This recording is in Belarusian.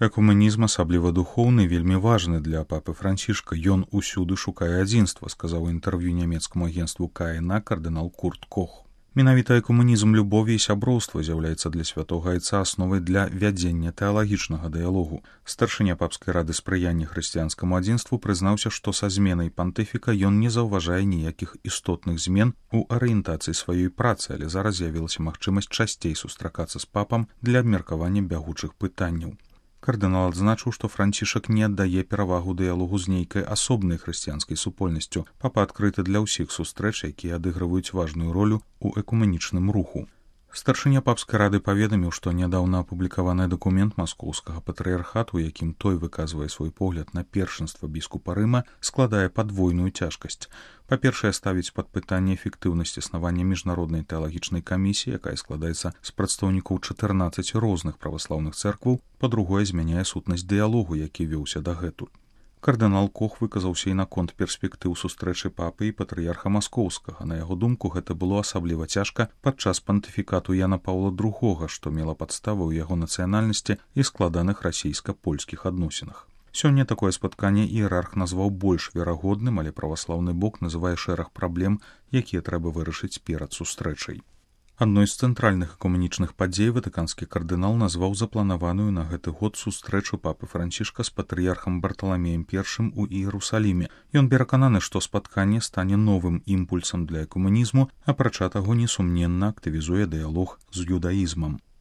Экуменізм, асабліва духоўны, вельмі важны для папы Францішка. Ён усюды шукае адзінства, сказаў у інтэрв'ю нямецкаму агенцтву КНА кардынал Курт Кох. Менавіта экуменізм любові і сяброўства з'яўляецца для святога айца асновай для вядзення тэалагічнага дыялогу. Старшыня папскай рады спрыяння хрысціянскаму адзінству прызнаўся, што са зменай пантыфіка ён не заўважае ніякіх істотных змен у арыентацыі сваёй працы, але зараз з'явілася магчымасць часцей сустракацца з папам для абмеркавання бягучых пытанняў. Кардынал адзначыў, што Францішак не аддае перавагу дыялогу з нейкай асобнай хрысціянскай супольнасцю. Папа адкрыты для ўсіх сустрэч, якія адыгрываюць важную ролю ў экуменічным руху. Старшыня папскай рады паведаміў, што нядаўна апублікаваны дакумент маскоўскага патрыярхату, якім той выказвае свой погляд на першынства біскупа Рыма, складае падвойную цяжкасць. Па-першае, ставіць пад пытанне эфектыўнасць існавання міжнароднай тэалагічнай камісіі, якая складаецца з прадстаўнікоў 14 розных праваслаўных цэркваў, па-другое, змяняе сутнасць дыялогу, які вёўся дагэтуль. Кардынал Кох выказаўся і наконт перспектыў сустрэчы папы і патрыярха маскоўскага. На яго думку, гэта было асабліва цяжка падчас пантыфікату Яна Паўла II, што мела падставы ў яго нацыянальнасці і складаных расійска-польскіх адносінах. Сёння такое спатканне іерарх назваў больш верагодным, але праваслаўны бок называе шэраг праблем, якія трэба вырашыць перад сустрэчай. Адной з цэнтральных экуменічных падзей ватыканскі кардынал назваў запланаваную на гэты год сустрэчу папы Францішка з патрыярхам Барталамеем I у Іерусаліме. Ён перакананы, што спатканне стане новым імпульсам для экуменізму, апрача таго, несумненна актывізуе дыялог з юдаізмам.